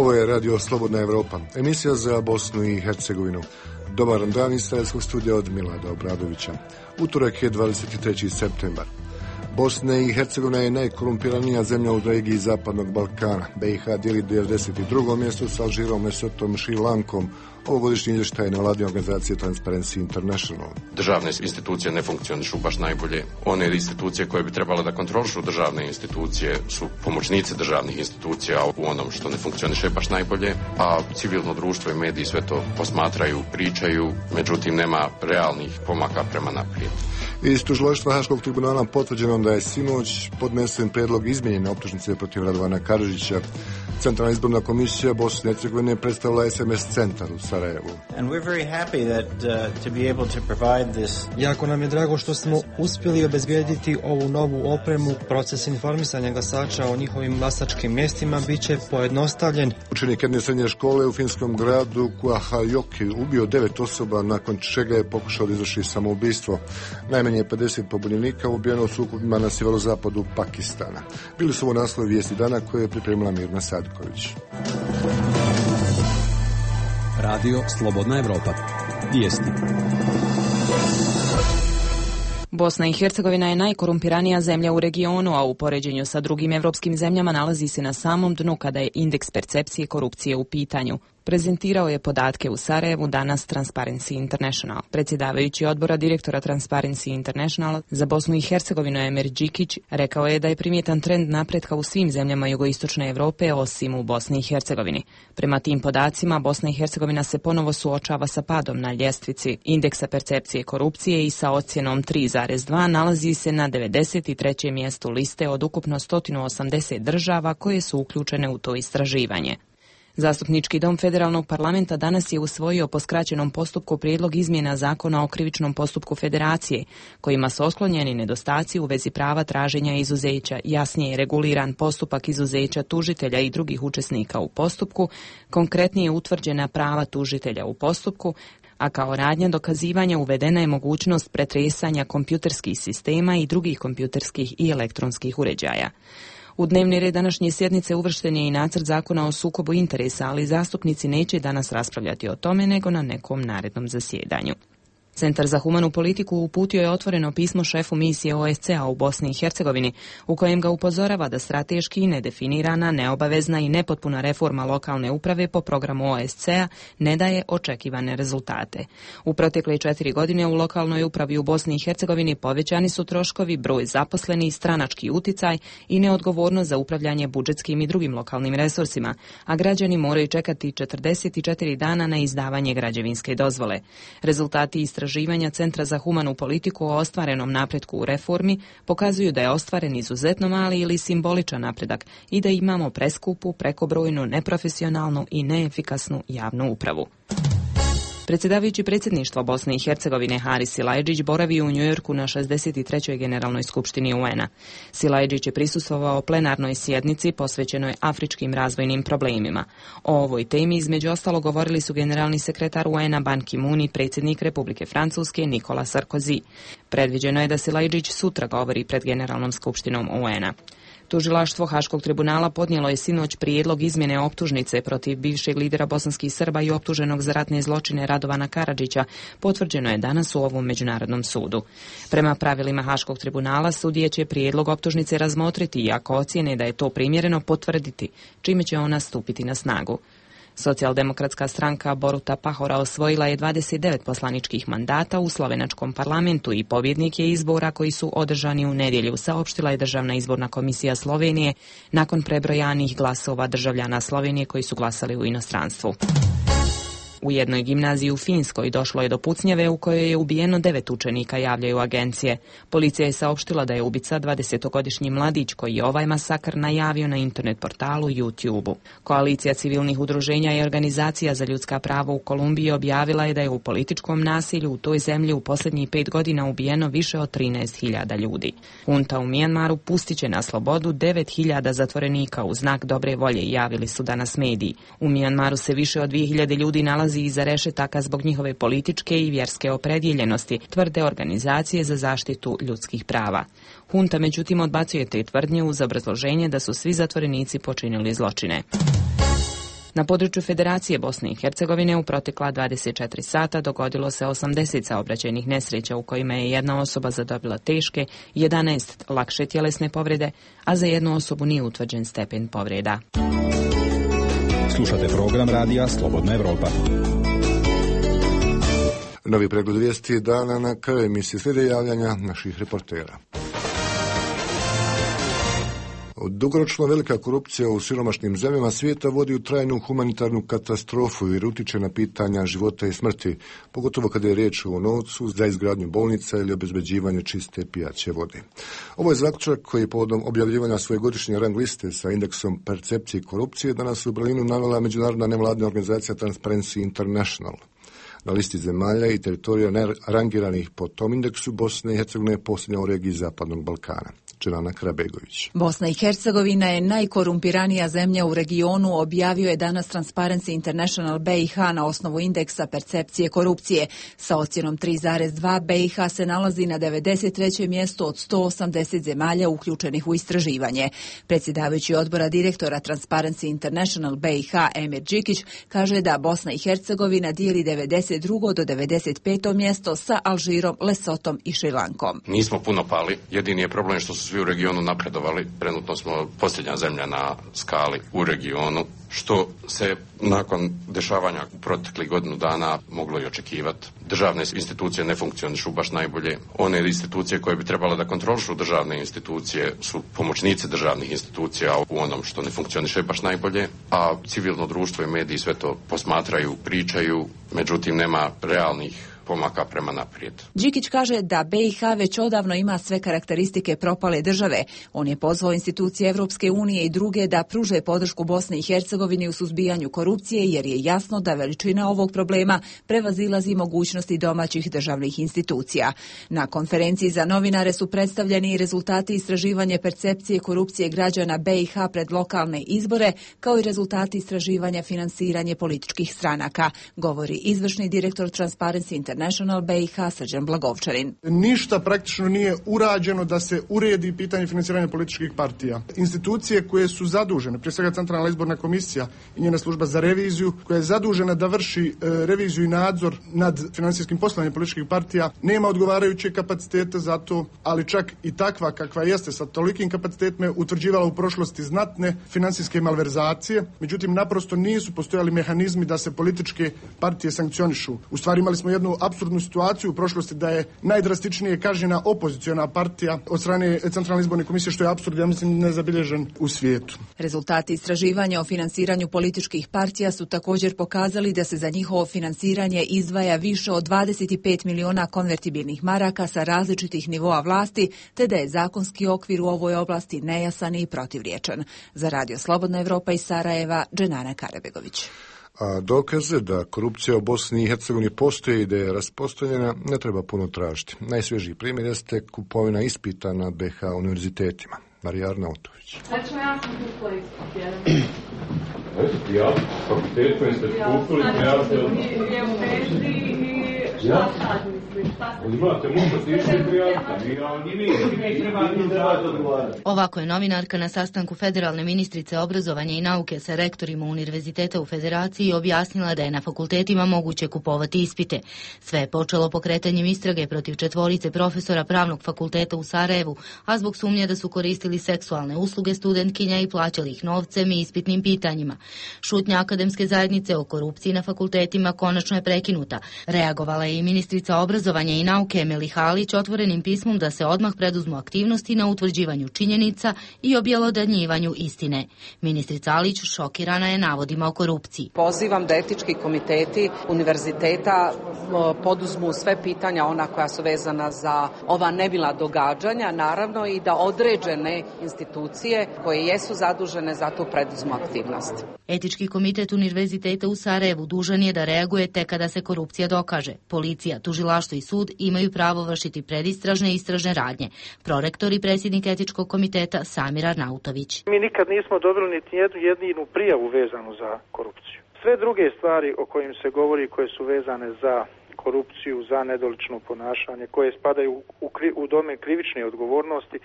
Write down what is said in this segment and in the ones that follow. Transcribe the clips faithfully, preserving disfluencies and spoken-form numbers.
Ovo je Radio Slobodna Evropa, emisija za Bosnu i Hercegovinu. Dobar dan iz Sarajevskog studija od Milada Obradovića. Utorak je dvadeset treći septembar. Bosna i Hercegovina je najkorumpiranija zemlja u regiji Zapadnog Balkana. B i H dijeli devedeset drugo mjesto sa Alžirom, Lesotom, Šri Lankom. Ovogodišnji izvještaj na vladine organizacije Transparency International. Državne institucije ne funkcionišu baš najbolje. One institucije koje bi trebale da kontrolišu državne institucije su pomoćnici državnih institucija u onom što ne funkcioniše baš najbolje, a civilno društvo i mediji sve to posmatraju, pričaju, međutim nema realnih pomaka prema naprijed. Iz tužilaštva Haškog tribunala potvrđeno da je sinoć podnesen prijedlog izmijenjene optužnice protiv Radovana Karadžića. Centralna izborna komisija Bosne i Hercegovine predstavila S M S centar u Sarajevu. Jako nam je drago što smo uspjeli obezbijediti ovu novu opremu. Proces informisanja glasača o njihovim glasačkim mjestima bit će pojednostavljen. Učenik jedne srednje škole u finskom gradu Kuahajoki ubio devet osoba, nakon čega je pokušao da izvrši samoubistvo. Najmanje pedeset pobunjenika ubijeno u sukobima na sjeverozapadu Pakistana. Bili su ovo naslovi vijesti dana koje je pripremila Mirna Sadković. Radio Slobodna Evropa. Vijesti. Bosna i Hercegovina je najkorumpiranija zemlja u regionu, a u poređenju sa drugim evropskim zemljama nalazi se na samom dnu kada je indeks percepcije korupcije u pitanju. Prezentirao je podatke u Sarajevu danas Transparency International. Predsjedavajući odbora direktora Transparency International za Bosnu i Hercegovinu Emir Đikić rekao je da je primjetan trend napretka u svim zemljama jugoistočne Europe osim u Bosni i Hercegovini. Prema tim podacima, Bosna i Hercegovina se ponovo suočava sa padom na ljestvici indeksa percepcije korupcije i sa ocjenom tri zarez dva nalazi se na devedeset trećem mjestu liste od ukupno sto osamdeset država koje su uključene u to istraživanje. Zastupnički dom Federalnog parlamenta danas je usvojio po skraćenom postupku prijedlog izmjena zakona o krivičnom postupku Federacije, kojima su otklonjeni nedostaci u vezi prava traženja izuzeća, jasnije reguliran postupak izuzeća tužitelja i drugih učesnika u postupku, konkretnije utvrđena prava tužitelja u postupku, a kao radnja dokazivanja uvedena je mogućnost pretresanja kompjuterskih sistema i drugih kompjuterskih i elektronskih uređaja. U dnevni red današnje sjednice uvršten je i nacrt zakona o sukobu interesa, ali zastupnici neće danas raspravljati o tome nego na nekom narednom zasjedanju. Centar za humanu politiku uputio je otvoreno pismo šefu misije O S C A u Bosni i Hercegovini, u kojem ga upozorava da strateški nedefinirana, neobavezna i nepotpuna reforma lokalne uprave po programu O S C A ne daje očekivane rezultate. U protekle četiri godine u lokalnoj upravi u Bosni i Hercegovini povećani su troškovi, broj zaposlenih, stranački uticaj i neodgovornost za upravljanje budžetskim i drugim lokalnim resursima, a građani moraju čekati četrdeset četiri dana na izdavanje građevinske dozvole. Rezultati istraživanja Istraživanja Centra za humanu politiku o ostvarenom napretku u reformi pokazuju da je ostvaren izuzetno mali ili simboličan napredak i da imamo preskupu, prekobrojnu, neprofesionalnu i neefikasnu javnu upravu. Predsjedavajući predsjedništva Bosne i Hercegovine Haris Silajdžić boravi u Njujorku na šezdeset trećoj generalnoj skupštini U N-a. Silajdžić je prisustvovao plenarnoj sjednici posvećenoj afričkim razvojnim problemima. O ovoj temi između ostalo govorili su generalni sekretar U N-a Ban Ki-moon i predsjednik Republike Francuske Nicolas Sarkozy. Predviđeno je da Silajdžić sutra govori pred generalnom skupštinom U N-a. Tužilaštvo Haškog tribunala podnijelo je sinoć prijedlog izmjene optužnice protiv bivšeg lidera bosanskih Srba i optuženog za ratne zločine Radovana Karadžića, potvrđeno je danas u ovom međunarodnom sudu. Prema pravilima Haškog tribunala sudije će prijedlog optužnice razmotriti i ako ocijene da je to primjereno potvrditi, čime će ona stupiti na snagu. Socijaldemokratska stranka Boruta Pahora osvojila je dvadeset devet poslaničkih mandata u slovenačkom parlamentu i pobjednik je izbora koji su održani u nedjelju, saopštila je Državna izborna komisija Slovenije nakon prebrojanih glasova državljana Slovenije koji su glasali u inostranstvu. U jednoj gimnaziji u Finskoj došlo je do pucnjave u kojoj je ubijeno devet učenika, javljaju agencije. Policija je saopštila da je ubica dvadesetogodišnji mladić koji je ovaj masakr najavio na internet portalu YouTube-u. Koalicija civilnih udruženja i organizacija za ljudska prava u Kolumbiji objavila je da je u političkom nasilju u toj zemlji u posljednjih pet godina ubijeno više od trinaest hiljada ljudi. Hunta u Mijanmaru pustit će na slobodu devet hiljada zatvorenika u znak dobre volje, javili su danas mediji. U Mijanmaru se više od dvije hiljade ljudi nalazi iza rešetaka zbog njihove političke i vjerske opredjeljenosti, tvrde organizacije za zaštitu ljudskih prava. Hunta međutim odbacuje te tvrdnje uz obrazloženje da su svi zatvorenici počinili zločine. Na području Federacije Bosne i Hercegovine u protekla dvadeset četiri sata dogodilo se osamdeset saobraćajnih nesreća u kojima je jedna osoba zadobila teške, jedanaest lakše tjelesne povrede, a za jednu osobu nije utvrđen stepen povreda. Slušate program radija Slobodna Evropa. Novi pregled vijesti dana na kraju emisije slijede javljanja naših reportera. Dugoročno velika korupcija u siromašnim zemljama svijeta vodi u trajnu humanitarnu katastrofu jer utječe na pitanja života i smrti, pogotovo kada je riječ o novcu za izgradnju bolnica ili obezbeđivanje čiste pijaće vode. Ovo je zaključak koji je povodom objavljivanja svoje godišnje rang liste sa indeksom percepcije korupcije danas u Berlinu navela međunarodna nevladina organizacija Transparency International. Na listi zemalja i teritorija rangiranih po tom indeksu Bosna i Hercegovina je posljednja u regiji Zapadnog Balkana. Čelana Karabegović. Bosna i Hercegovina je najkorumpiranija zemlja u regionu, objavio je danas Transparency International B i H na osnovu indeksa percepcije korupcije. Sa ocjenom tri zarez dva B i H se nalazi na devedeset trećem mjestu od sto osamdeset zemalja uključenih u istraživanje. Predsjedavajući odbora direktora Transparency International B i H Emir Đikić kaže da Bosna i Hercegovina dijeli devedeset drugo do devedeset peto mjesto sa Alžirom, Lesotom i Šrilankom. Nismo puno pali, jedini je problem što su svi u regionu napredovali. Trenutno smo posljednja zemlja na skali u regionu, što se nakon dešavanja u proteklih godinu dana moglo i očekivati. Državne institucije ne funkcionišu baš najbolje. One institucije koje bi trebale da kontrolišu državne institucije su pomoćnici državnih institucija u onom što ne funkcioniše baš najbolje, a civilno društvo i mediji sve to posmatraju, pričaju, međutim nema realnih pomaka prema naprijed. Đikić kaže da B i H već odavno ima sve karakteristike propale države. On je pozvao institucije Evropske unije i druge da pruže podršku Bosni i Hercegovini u suzbijanju korupcije, jer je jasno da veličina ovog problema prevazilazi mogućnosti domaćih državnih institucija. Na konferenciji za novinare su predstavljeni i rezultati istraživanja percepcije korupcije građana B i H pred lokalne izbore, kao i rezultati istraživanja finansiranje političkih stranaka, govori izvršni direktor Transparency International B i H Srđan Blagovčanin. Ništa praktično nije urađeno da se uredi pitanje finansiranja političkih partija. Institucije koje su zadužene, prije svega Centralna izborna komisija i njena služba za reviziju, koja je zadužena da vrši e, reviziju i nadzor nad finansijskim poslovanjem političkih partija, nema odgovarajuće kapacitete za to, ali čak i takva kakva jeste sa tolikim kapacitetima utvrđivala u prošlosti znatne finansijske malverzacije, međutim naprosto nisu postojali mehanizmi da se političke partije sankcionišu. U stvari imali smo jednu apsurdnu situaciju u prošlosti da je najdrastičnije kažnjena opoziciona partija od strane Centralne izborne komisije, što je apsurd, ja mislim, nezabilježen u svijetu. Rezultati istraživanja o finansiranju političkih partija su također pokazali da se za njihovo finansiranje izdvaja više od dvadeset pet miliona konvertibilnih maraka sa različitih nivoa vlasti, te da je zakonski okvir u ovoj oblasti nejasan i protivriječan. Za Radio Slobodna Evropa iz Sarajeva, Dženana Karabegović. A dokaze da korupcija u Bosni i Hercegovini postoji i da je raspostavljena ne treba puno tražiti. Najsvježiji primjer jeste kupovina ispita na B H univerzitetima. Marija Arnautović. Znači, ja sam kupila ispit jedan. Eto, ja, fakultet koji ste kupili, ja ste... I šta sad misliš? Imate, možete išli prijaviti. Ovako je novinarka na sastanku federalne ministrice obrazovanja i nauke sa rektorima univerziteta u Federaciji objasnila da je na fakultetima moguće kupovati ispite. Sve je počelo pokretanjem istrage protiv četvorice profesora pravnog fakulteta u Sarajevu, a zbog sumnje da su koristili seksualne usluge studentkinja i plaćali ih novcem i ispitnim pitanjima. Šutnja akademske zajednice o korupciji na fakultetima konačno je prekinuta. Reagovala je i ministrica obrazovanja i nauke Emeli Halić otvorenim pismom da se odmah preduzmu aktivnosti na utvrđivanju činjenica i objelodanjivanju istine. Ministrica Halić šokirana je navodima o korupciji. Pozivam da etički komiteti univerziteta poduzmu sve pitanja ona koja su vezana za ova nemila događanja, naravno i da određene institucije koje jesu zadužene za tu preduzmu aktivnost. Etički komitet univerziteta u Sarajevu dužan je da reaguje tek kada se korupcija dokaže. Policija, tužilaštvo i sud imaju pravo vršiti predistražne i istražne radnje. Prorektor i predsjednik etičkog komiteta Samir Arnautović. Mi nikad nismo dobili niti jednu jedinu prijavu vezanu za korupciju. Sve druge stvari o kojim se govori, koje su vezane za korupciju, za nedolično ponašanje, koje spadaju u, u domen krivične odgovornosti,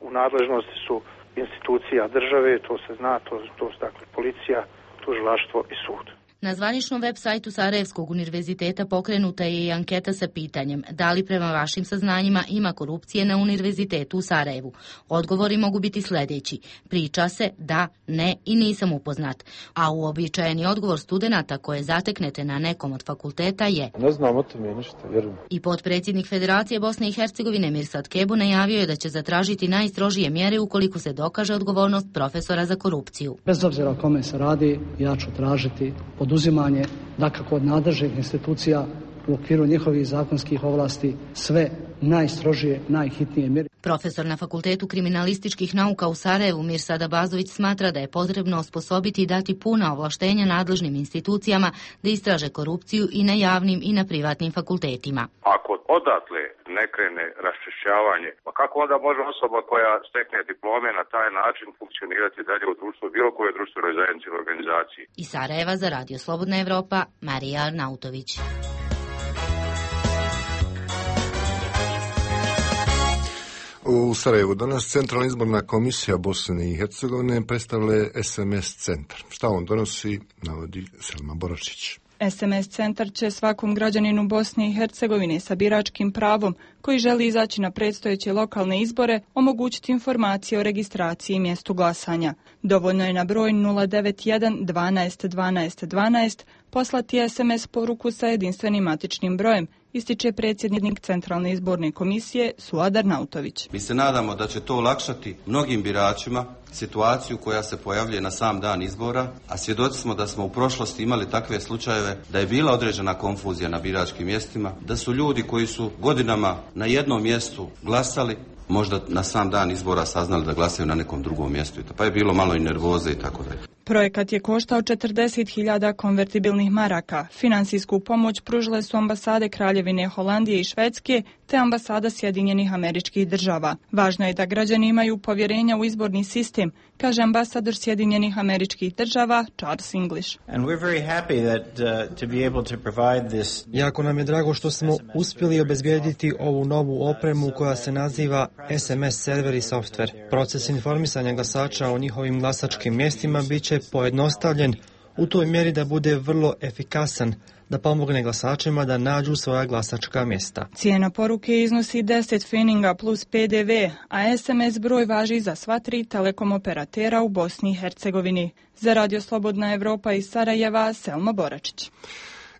u nadležnosti su institucija države, to se zna, to, to su dakle policija, tužilaštvo i sud. Na zvaničnom web sajtu Sarajevskog univerziteta pokrenuta je i anketa sa pitanjem da li prema vašim saznanjima ima korupcije na univerzitetu u Sarajevu. Odgovori mogu biti sljedeći: priča se, da, ne i nisam upoznat. A uobičajeni odgovor studenata koje zateknete na nekom od fakulteta je: ne znam o tome ništa, vjerujem. I potpredsjednik Federacije Bosne i Hercegovine Mirsad Kebu najavio je da će zatražiti najstrožije mjere ukoliko se dokaže odgovornost profesora za korupciju. Bez obzira o kome se radi, ja ću tražiti poduzimanje, dakako od nadležnih institucija u okviru njihovih zakonskih ovlasti, sve najstrožije, najhitnije mjere. Profesor na Fakultetu kriminalističkih nauka u Sarajevu Mirsad Abazović smatra da je potrebno osposobiti i dati puna ovlaštenja nadležnim institucijama da istraže korupciju i na javnim i na privatnim fakultetima. Ako odatle ne krene raščišćavanje, pa kako onda može osoba koja stekne diplome na taj način funkcionirati dalje u društvu, bilo koje društvenoj zajednici ili organizaciji? Iz Sarajeva za Radio Slobodna Evropa, Marija Arnautović. U Sarajevu danas Centralna izborna komisija Bosne i Hercegovine predstavlja es em es centar. Šta on donosi, navodi Selma Boračić. es em es centar će svakom građaninu Bosne i Hercegovine sa biračkim pravom koji želi izaći na predstojeće lokalne izbore omogućiti informacije o registraciji i mjestu glasanja. Dovoljno je na broj nula devet jedan dvanaest dvanaest dvanaest poslati es em es poruku sa jedinstvenim matičnim brojem, ističe predsjednik Centralne izborne komisije Suad Arnautović. Mi se nadamo da će to olakšati mnogim biračima situaciju koja se pojavljuje na sam dan izbora, a svjedoci smo da smo u prošlosti imali takve slučajeve da je bila određena konfuzija na biračkim mjestima, da su ljudi koji su godinama na jednom mjestu glasali, možda na sam dan izbora saznali da glasaju na nekom drugom mjestu, pa je bilo malo i nervoze i tako dalje. Projekat je koštao četrdeset hiljada konvertibilnih maraka. Finansijsku pomoć pružile su ambasade Kraljevine Holandije i Švedske te ambasada Sjedinjenih Američkih Država. Važno je da građani imaju povjerenja u izborni sistem, kaže ambasador Sjedinjenih Američkih Država Charles English. And we're very happy that uh, to be able to provide this. Jako nam je drago što smo uspjeli obezbijediti ovu novu opremu koja se naziva es em es server i software. Proces informisanja glasača o njihovim glasačkim mjestima bit će pojednostavljen u toj mjeri da bude vrlo efikasan, da pomogne glasačima da nađu svoja glasačka mjesta. Cijena poruke iznosi deset feninga plus pe de ve, a es em es broj važi za sva tri telekom operatera u Bosni i Hercegovini. Za Radio Slobodna Evropa iz Sarajeva, Selma Boračić.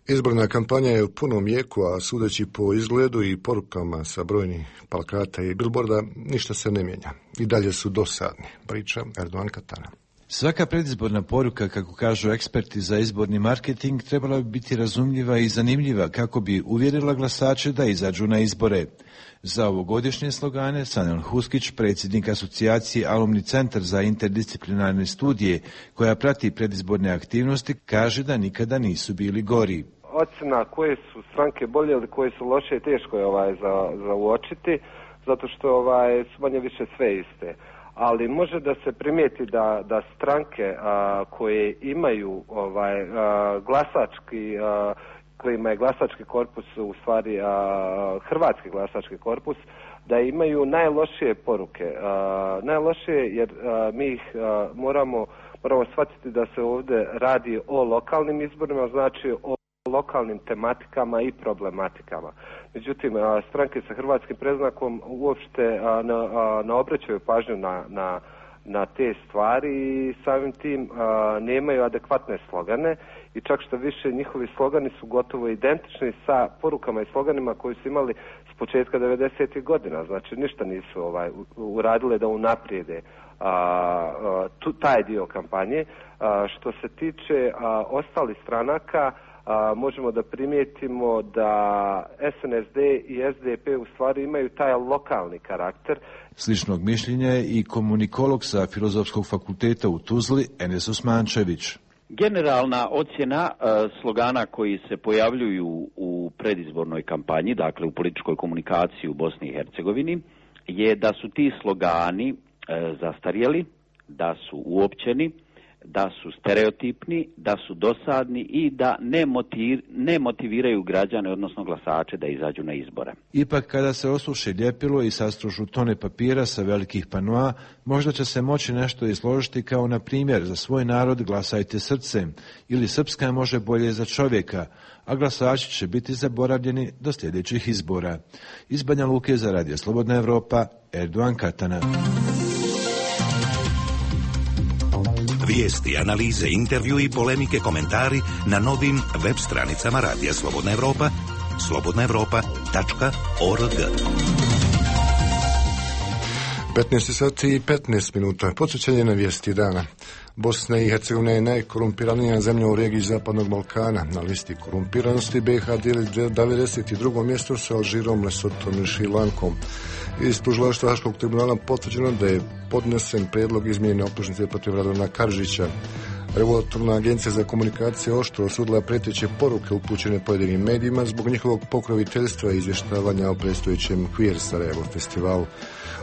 Izborna kampanja je u punom jeku, a sudeći po izgledu i porukama sa brojnih plakata i bilborda, ništa se ne mijenja. I dalje su dosadni, priča Erdogan Katana. Svaka predizborna poruka, kako kažu eksperti za izborni marketing, trebala bi biti razumljiva i zanimljiva kako bi uvjerila glasače da izađu na izbore. Za ovogodišnje slogane Sanel Huskić, predsjednik asocijacije Alumni centar za interdisciplinarne studije, koja prati predizborne aktivnosti, kaže da nikada nisu bili gori. Ocjena koje su stranke bolje ili koje su loše teško je ovaj za, za uočiti, zato što ovaj, su manje više sve iste. Ali može da se primijeti da, da stranke a, koje imaju ovaj, a, glasački, a, kojima je glasački korpus u stvari a, hrvatski glasački korpus, da imaju najlošije poruke. A, najlošije jer a, mi ih a, moramo, moramo shvatiti da se ovdje radi o lokalnim izborima, znači o lokalnim tematikama i problematikama. Međutim, stranke sa hrvatskim predznakom uopšte ne, ne obraćaju pažnju na, na, na te stvari i samim tim a, nemaju adekvatne slogane i čak što više njihovi slogani su gotovo identični sa porukama i sloganima koji su imali s početka devedesetih godina. Znači ništa nisu ovaj, uradile da unaprijede a, a, tu, taj dio kampanje. A, što se tiče a, ostalih stranaka, A, možemo da primijetimo da es en es de i es de pe u stvari imaju taj lokalni karakter. Sličnog mišljenja je i komunikolog sa Filozofskog fakulteta u Tuzli, Enes Osmančević. Generalna ocjena uh, slogana koji se pojavljuju u predizbornoj kampanji, dakle u političkoj komunikaciji u Bosni i Hercegovini, je da su ti slogani uh, zastarjeli, da su uopćeni, da su stereotipni, da su dosadni i da ne, motiv, ne motiviraju građane, odnosno glasače, da izađu na izbore. Ipak, kada se osuši ljepilo i sastružu tone papira sa velikih panoa, možda će se moći nešto izložiti kao, na primjer, za svoj narod glasajte srcem ili Srpska može bolje za čovjeka, a glasači će biti zaboravljeni do sljedećih izbora. Iz Banja Luke za Radio Slobodna Evropa, Erdogan Katana. Vijesti, analize, intervju i polemike, komentari na novim web stranicama Radija Slobodna Evropa, slobodna evropa tačka org. petnaest sati i petnaest minuta. Podsjećanje na vijesti dana. Bosna i Hercegovina je najkorumpiranija zemlja u regiji Zapadnog Balkana. Na listi korumpiranosti B i H dijeli devedeset drugo mjesto sa Alžirom, Lesotom i Šrilankom. Iz tužilaštva Haškog tribunala potvrđeno da je podnesen prijedlog izmjene optužnice protiv Radovana Karadžića. Regulatorna agencija za komunikacije oštro osudila preteće poruke upućene pojedinim medijima zbog njihovog pokroviteljstva i izvještavanja o predstojećem Queer Sarajevo festivalu.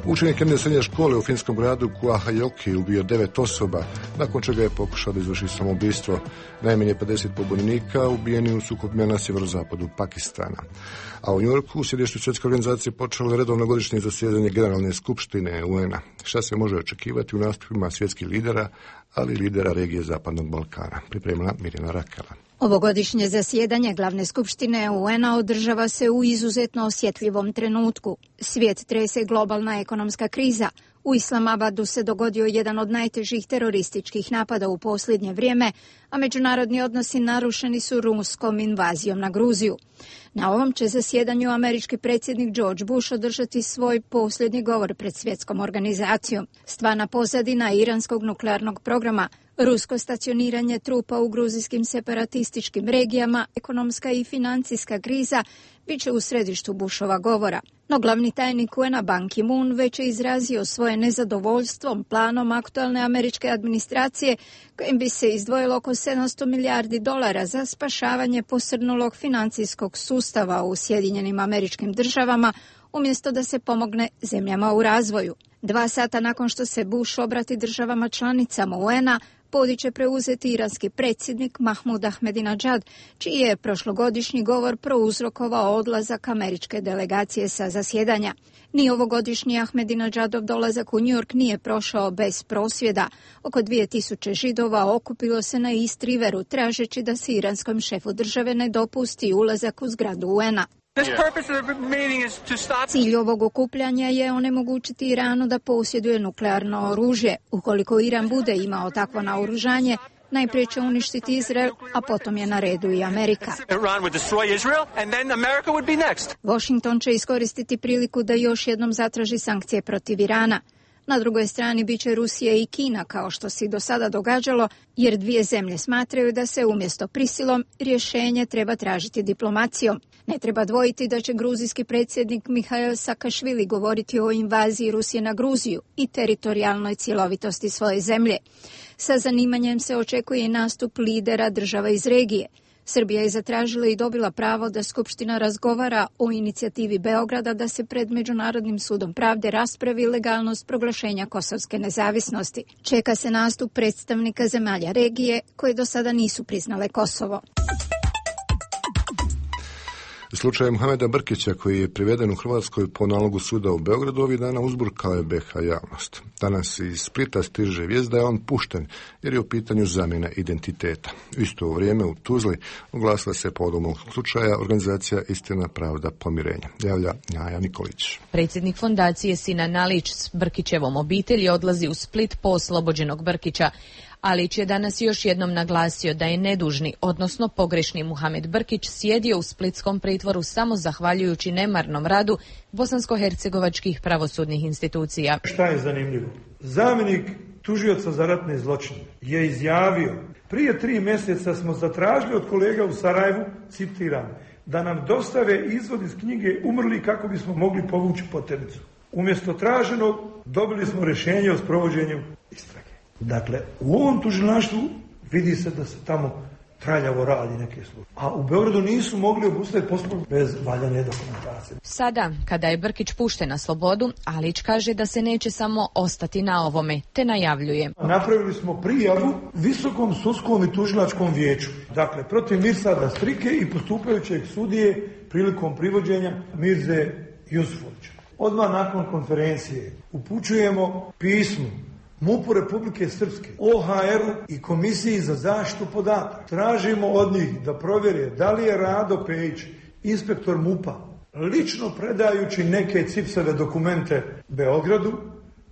Učenik jedne srednje škole u finskom gradu Kuahajoki ubio devet osoba, nakon čega je pokušao da izvrši samoubistvo. Najmanje pedeset pobunjenika ubijeni u sukobima na sjeverozapadu Pakistana. A u Njujorku u sjedištu Svjetske organizacije počelo je redovno godišnje zasjedanje Generalne skupštine U N-a. Šta se može očekivati u nastupima svjetskih lidera, ali lidera regije Zapadnog Balkana? Pripremila Mirjana Rakela. Ovogodišnje zasjedanje Glavne skupštine U N-a održava se u izuzetno osjetljivom trenutku. Svijet trese globalna ekonomska kriza. U Islamabadu se dogodio jedan od najtežih terorističkih napada u posljednje vrijeme, a međunarodni odnosi narušeni su ruskom invazijom na Gruziju. Na ovom će zasjedanju američki predsjednik George Bush održati svoj posljednji govor pred svjetskom organizacijom. Stvarna pozadina iranskog nuklearnog programa, rusko stacioniranje trupa u gruzijskim separatističkim regijama, ekonomska i financijska kriza bit će u središtu Bushova govora. No glavni tajnik U N-a Ban Ki-moon već je izrazio svoje nezadovoljstvom planom aktualne američke administracije kojim bi se izdvojilo oko sedamsto milijardi dolara za spašavanje posrnulog financijskog sustava u Sjedinjenim Američkim Državama umjesto da se pomogne zemljama u razvoju. Dva sata nakon što se Bush obrati državama članicama U N-a, podi će preuzeti iranski predsjednik Mahmud Ahmadinejad, čiji je prošlogodišnji govor prouzrokovao odlazak američke delegacije sa zasjedanja. Ni ovogodišnji Ahmadinejadov dolazak u New York nije prošao bez prosvjeda. Oko dvije tisuće Židova okupilo se na East Riveru tražeći da se iranskom šefu države ne dopusti ulazak u zgradu U N-a. Cilj ovog okupljanja je onemogućiti Iranu da posjeduje nuklearno oružje. Ukoliko Iran bude imao takvo naoružanje, najprije će uništiti Izrael, a potom je na redu i Amerika. Washington će iskoristiti priliku da još jednom zatraži sankcije protiv Irana. Na drugoj strani bit će Rusija i Kina, kao što se do sada događalo, jer dvije zemlje smatraju da se umjesto prisilom rješenje treba tražiti diplomacijom. Ne treba dvojiti da će gruzijski predsjednik Mihail Sakašvili govoriti o invaziji Rusije na Gruziju i teritorijalnoj cjelovitosti svoje zemlje. Sa zanimanjem se očekuje i nastup lidera država iz regije. Srbija je zatražila i dobila pravo da Skupština razgovara o inicijativi Beograda da se pred Međunarodnim sudom pravde raspravi legalnost proglašenja kosovske nezavisnosti. Čeka se nastup predstavnika zemalja regije koje do sada nisu priznale Kosovo. Slučaj Muhameda Brkića, koji je priveden u Hrvatskoj po nalogu suda u Beogradu, ovih dana uzburkao je B H javnost. Danas iz Splita stiže vijest da je on pušten jer je u pitanju zamjena identiteta. U isto vrijeme u Tuzli oglasila se povodom ovog slučaja organizacija Istina, pravda, pomirenje. Javlja Njaja Nikolić. Predsjednik fondacije Sinan Alić s Brkićevom obitelji odlazi u Split po oslobođenog Brkića. Alić je danas još jednom naglasio da je nedužni, odnosno pogrešni Muhamed Brkić sjedio u splitskom pritvoru samo zahvaljujući nemarnom radu bosansko-hercegovačkih pravosudnih institucija. Šta je zanimljivo? Zamjenik tužioca za ratne zločine je izjavio: prije tri mjeseca smo zatražili od kolega u Sarajevu, citiram, da nam dostave izvod iz knjige umrli kako bismo mogli povući potenicu. Umjesto traženog dobili smo rješenje o sprovođenju istrage. Dakle, u ovom tužilaštvu vidi se da se tamo traljavo radi neke slučaje. A u Beogradu nisu mogli obustaviti postupak bez valjane dokumentacije. Sada, kada je Brkić pušten na slobodu, Alić kaže da se neće samo ostati na ovome, te najavljuje. Napravili smo prijavu Visokom sudskom i tužilačkom vijeću. Dakle, protiv Mirsada Strike i postupajućeg sudije prilikom privođenja Mirze Jusufovića. Odmah nakon konferencije upućujemo pismo MUP-u Republike Srpske, O H R-u i Komisiji za zaštitu podataka. Tražimo od njih da provjere da li je Rado Pejić, inspektor MUP-a, lično predajući neke cipsove dokumente Beogradu,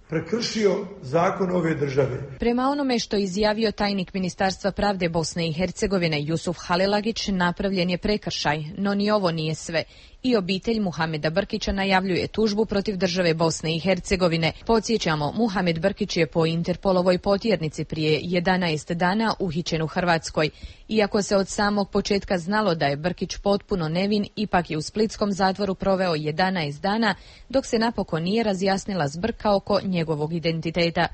prekršio zakon ove države. Prema onome što je izjavio tajnik Ministarstva pravde Bosne i Hercegovine Jusuf Halilagić, napravljen je prekršaj, no ni ovo nije sve. I obitelj Muhameda Brkića najavljuje tužbu protiv države Bosne i Hercegovine. Podsjećamo, Muhamed Brkić je po Interpolovoj potjernici prije jedanaest dana uhićen u Hrvatskoj. Iako se od samog početka znalo da je Brkić potpuno nevin, ipak je u splitskom zatvoru proveo jedanaest dana, dok se napokon nije razjasnila zbrka oko njegovog identiteta.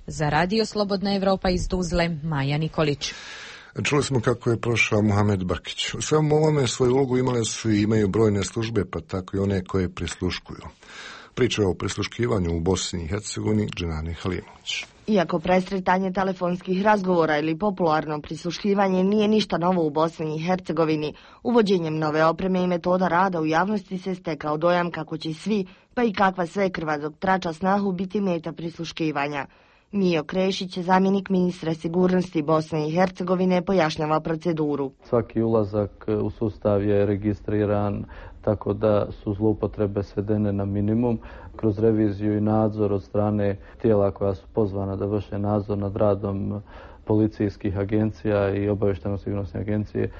Za Radio Slobodna Evropa iz Tuzle, Maja Nikolić. Čuli smo kako je prošao Muhamed Brkić. U svemu ovome svoju ulogu imale su i imaju brojne službe, pa tako i one koje prisluškuju. Priča o prisluškivanju u Bosni i Hercegovini, Dženani Halimović. Iako presretanje telefonskih razgovora ili popularno prisluškivanje nije ništa novo u Bosni i Hercegovini, uvođenjem nove opreme i metoda rada u javnosti se stekao dojam kako će svi, pa i kakva sve krva dok trača snahu, biti meta prisluškivanja. Mijo Krešić, zamjenik ministra sigurnosti Bosne i Hercegovine, pojašnjava proceduru. Svaki ulazak u sustav je registriran, tako da su zloupotrebe svedene na minimum. Kroz reviziju i nadzor od strane tijela koja su pozvana da vrše nadzor nad radom policijskih agencija i obavještajno-sigurnosne agencije,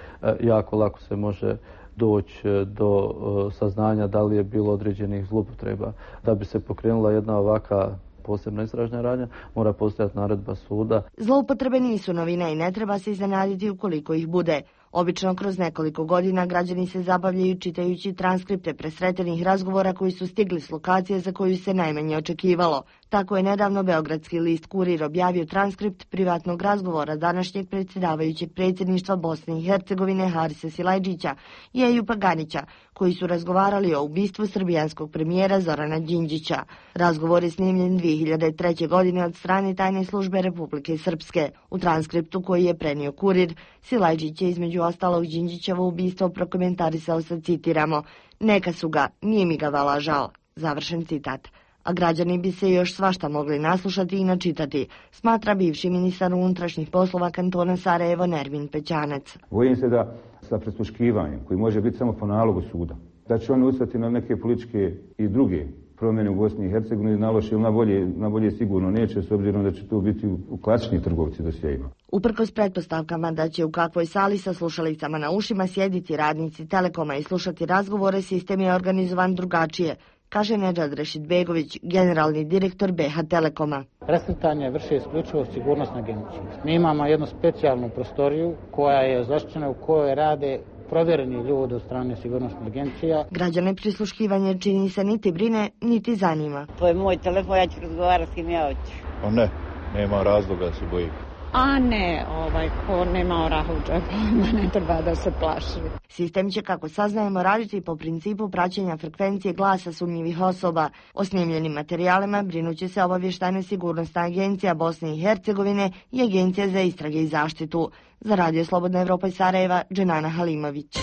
jako lako se može doći do saznanja da li je bilo određenih zloupotreba. Da bi se pokrenula jedna ovaka posebna istražna radnja, mora postojati naredba suda. Zloupotrebe nisu novina i ne treba se iznenaditi ukoliko ih bude. Obično kroz nekoliko godina građani se zabavljaju čitajući transkripte presretenih razgovora koji su stigli s lokacije za koju se najmanje očekivalo. Tako je nedavno beogradski list Kurir objavio transkript privatnog razgovora današnjeg predsjedavajućeg predsjedništva Bosne i Hercegovine Harisa Silajdžića i Ejupa Ganića, koji su razgovarali o ubistvu srbijanskog premijera Zorana Đinđića. Razgovor je snimljen dvije hiljade treće. godine od strane tajne službe Republike Srpske. U transkriptu koji je prenio Kurir, Silajdžić je između ostalog Đinđićevo ubistvo prokomentarisao sa, citiramo, neka su ga, nije mi ga vala žao. Završen citat. A građani bi se još svašta mogli naslušati i načitati, smatra bivši ministar unutrašnjih poslova kantona Sarajevo Nermin Pećanac. Bojim se da sa prisluškivanjem, koji može biti samo po nalogu suda, da će oni ustati na neke političke i druge promjene u Bosni i Hercegovini, na loše ili na bolje, na bolje sigurno neće, s obzirom da će to biti u, u klasični trgovci dosjejima. Uprkos pretpostavkama da će u kakvoj sali sa slušalicama na ušima sjediti radnici Telekoma i slušati razgovore, sistem je organizovan drugačije, kaže Nedžad Rešidbegović, generalni direktor B H Telekoma. Presretanje vrše isključivo sigurnosna agencija. Mi imamo jednu specijalnu prostoriju koja je zaštićena, u kojoj rade provjereni ljudi od strane sigurnosnih agencija. Građane prisluškivanje čini se niti brine, niti zanima. To je moj telefon, ja ću razgovarati s kim ja hoću. Pa ne, nema razloga da se boji. A ne, ovaj, ko nema oraha u džepu, ne treba da se plaši. Sistem će, kako saznajemo, raditi po principu praćenja frekvencije glasa sumnjivih osoba. O snimljenim materijalima brinuće se obavještajna sigurnosna agencija Bosne i Hercegovine i Agencija za istrage i zaštitu. Za Radio Slobodna Evropa iz Sarajeva, Dženana Halimović.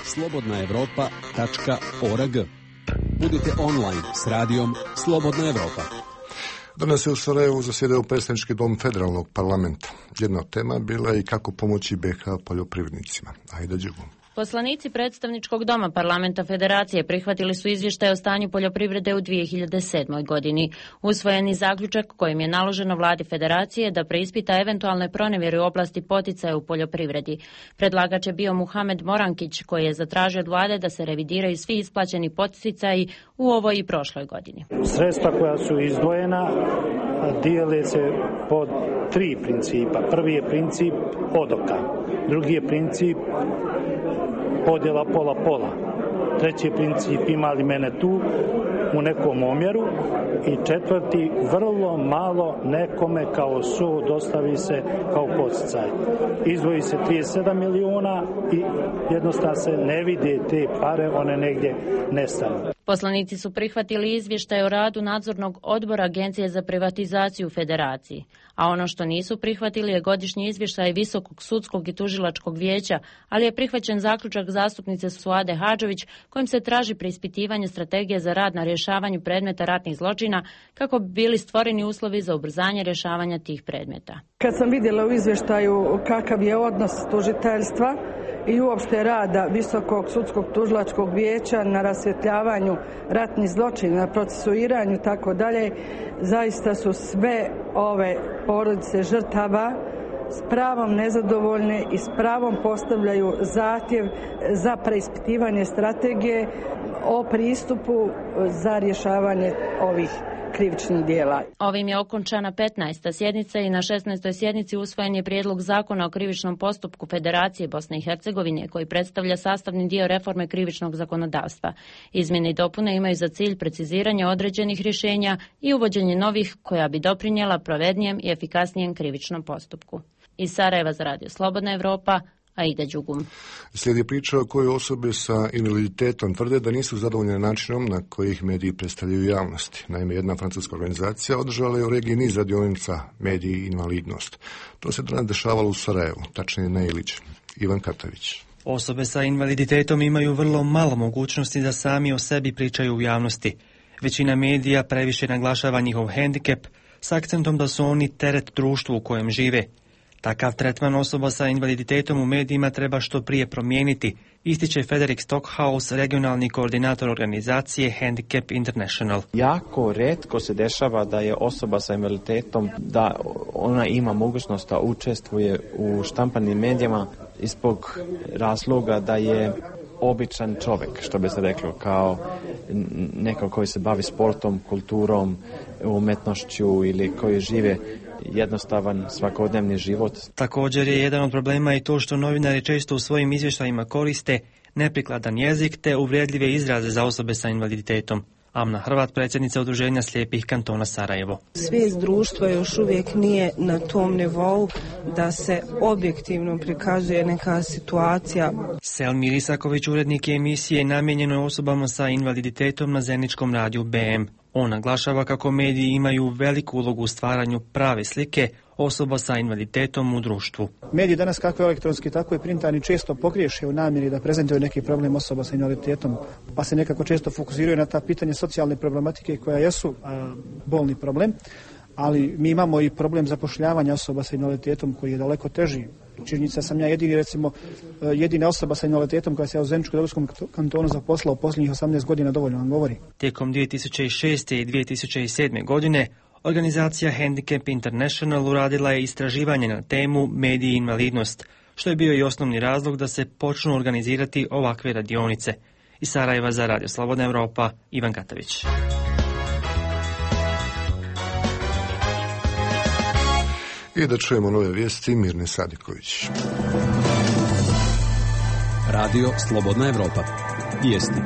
slobodna evropa tačka org. Budite online s radijom Slobodna Evropa. Danas je u Sarajevu zasjedao predstavnički dom federalnog parlamenta. Jedna od tema bila je i kako pomoći B H poljoprivrednicima. Ajde Đugu. Poslanici predstavničkog doma parlamenta Federacije prihvatili su izvještaj o stanju poljoprivrede u dvije hiljade sedmoj. godini. Usvojeni zaključak kojim je naloženo vladi Federacije da preispita eventualne pronevjere u oblasti poticaja u poljoprivredi. Predlagač je bio Muhamed Morankić, koji je zatražio od vlade da se revidiraju svi isplaćeni poticaji u ovoj i prošloj godini. Sredstva koja su izdvojena dijele se po tri principa. Prvi je princip odoka, drugi je princip podjela pola-pola. Treći princip ima li mene tu u nekom omjeru i četvrti vrlo malo nekome kao su dostavi se kao podsticaj. Izdvoji se trideset sedam miliona i jednostavno se ne vide te pare, one negdje nestanu. Poslanici su prihvatili izvještaj o radu nadzornog odbora Agencije za privatizaciju u Federaciji, a ono što nisu prihvatili je godišnji izvještaj Visokog sudskog i tužilačkog vijeća, ali je prihvaćen zaključak zastupnice Suade Hadžović kojim se traži preispitivanje strategije za rad na rješavanju predmeta ratnih zločina kako bi bili stvoreni uslovi za ubrzanje rješavanja tih predmeta. Kad sam vidjela u izvještaju kakav je odnos tužiteljstva i uopšte rada Visokog sudskog tužilačkog vijeća na rasvjetljavanju ratnih zločina, na procesuiranju tako dalje, zaista su sve ove porodice žrtava s pravom nezadovoljne i s pravom postavljaju zahtjev za preispitivanje strategije o pristupu za rješavanje ovih krivičnih djela. Ovim je okončana petnaesta sjednica i na šesnaestoj sjednici usvojen je prijedlog zakona o krivičnom postupku Federacije Bosne i Hercegovine koji predstavlja sastavni dio reforme krivičnog zakonodavstva. Izmjene i dopune imaju za cilj preciziranje određenih rješenja i uvođenje novih koja bi doprinijela pravednijem i efikasnijem krivičnom postupku. Iz Sarajeva za Radio Slobodna Evropa, Aida Đugum. Slijedi priča o kojoj osobe sa invaliditetom tvrde da nisu zadovoljne načinom na koji ih mediji predstavljaju javnosti. Naime, jedna francuska organizacija održala je u regiji niz radionica Mediji i invalidnost. To se danas dešavalo u Sarajevu, tačnije na Ilić. Ivan Katavić. Osobe sa invaliditetom imaju vrlo malo mogućnosti da sami o sebi pričaju u javnosti. Većina medija previše naglašava njihov hendikep s akcentom da su oni teret društvu u kojem žive. Takav tretman osoba sa invaliditetom u medijima treba što prije promijeniti, ističe Frederick Stockhaus, regionalni koordinator organizacije Handicap International. Jako retko se dešava da je osoba sa invaliditetom, da ona ima mogućnost da učestvuje u štampanim medijima zbog razloga da je običan čovjek, što bi se reklo, kao neko koji se bavi sportom, kulturom, umetnošću ili koji žive jednostavan svakodnevni život. Također je jedan od problema i to što novinari često u svojim izvještajima koriste neprikladan jezik te uvredljive izraze za osobe sa invaliditetom. Amna Hrvat, predsjednica Udruženja slijepih kantona Sarajevo. Svijest društva još uvijek nije na tom nivou da se objektivno prikazuje neka situacija. Selmir Isaković, urednik emisije namijenjenoj osobama sa invaliditetom na Zeničkom radiju B M. On naglašava kako mediji imaju veliku ulogu u stvaranju prave slike osoba sa invaliditetom u društvu. Mediji danas, kako elektronski, tako i printani, često pogriješe u namjeri da prezentuju neki problem osoba sa invaliditetom, pa se nekako često fokusiraju na ta pitanja socijalne problematike koja jesu a, bolni problem, ali mi imamo i problem zapošljavanja osoba sa invaliditetom koji je daleko teži. Činjenica sam ja jedini, recimo, jedina osoba sa invaliditetom koja se u Zeničko-Dobojskom kantonu zaposlila u posljednjih osamnaest godina, dovoljno vam govori. Tijekom dvije tisuće šeste i dvije tisuće sedme godine organizacija Handicap International uradila je istraživanje na temu mediji i invalidnost, što je bio i osnovni razlog da se počnu organizirati ovakve radionice. Iz Sarajeva za Radio Slobodna Evropa, Ivan Katavić. I da čujemo nove vijesti, Mirne Sadiković. Radio Slobodna Evropa. Vijesti.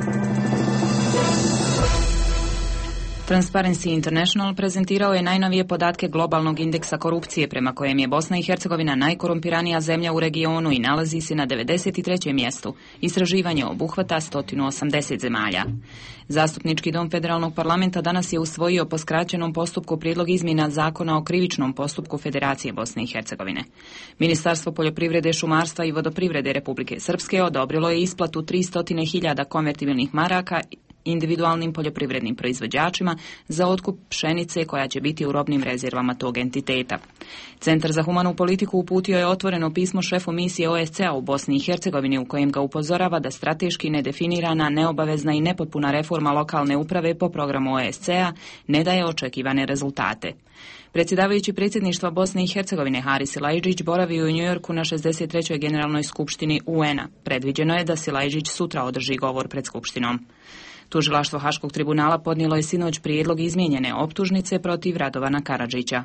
Transparency International prezentirao je najnovije podatke globalnog indeksa korupcije prema kojem je Bosna i Hercegovina najkorumpiranija zemlja u regionu i nalazi se na devedeset trećem mjestu. Istraživanje obuhvata sto osamdeset zemalja. Zastupnički dom Federalnog parlamenta danas je usvojio po skraćenom postupku prijedlog izmjena zakona o krivičnom postupku Federacije Bosne i Hercegovine. Ministarstvo poljoprivrede, šumarstva i vodoprivrede Republike Srpske odobrilo je isplatu tristo hiljada konvertibilnih maraka individualnim poljoprivrednim proizvođačima za otkup pšenice koja će biti u robnim rezervama tog entiteta. Centar za humanu politiku uputio je otvoreno pismo šefu misije O S C A u Bosni i Hercegovini u kojem ga upozorava da strateški nedefinirana, neobavezna i nepotpuna reforma lokalne uprave po programu O S C A ne daje očekivane rezultate. Predsjedavajući predsjedništva Bosne i Hercegovine Haris Silajdžić boravio u Njujorku na šezdeset trećoj generalnoj skupštini U N-a. Predviđeno je da Silajdžić sutra održi govor pred skupštinom. Tužilaštvo Haškog tribunala podnijelo je sinoć prijedlog izmijenjene optužnice protiv Radovana Karadžića.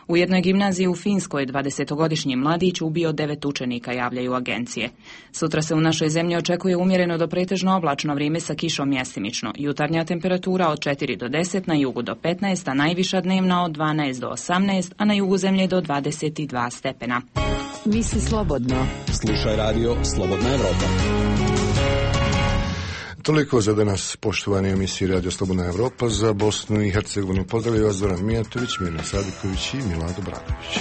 U jednoj gimnaziji u Finskoj dvadesetogodišnji mladić ubio devet učenika, javljaju agencije. Sutra se u našoj zemlji očekuje umjereno do pretežno oblačno vrijeme sa kišom mjestimično. Jutarnja temperatura od četiri do deset, na jugu do petnaest, a najviša dnevna od dvanaest do osamnaest, a na jugu zemlje do dvadeset dva stepena. Misli slobodno. Slušaj radio Slobodna Evropa. Toliko za danas, poštovani emisiji Radio Slobodna Evropa. Za Bosnu i Hercegovinu pozdravljaju vas Zoran Mijatović, Mirna Sadiković i Milado Bradović.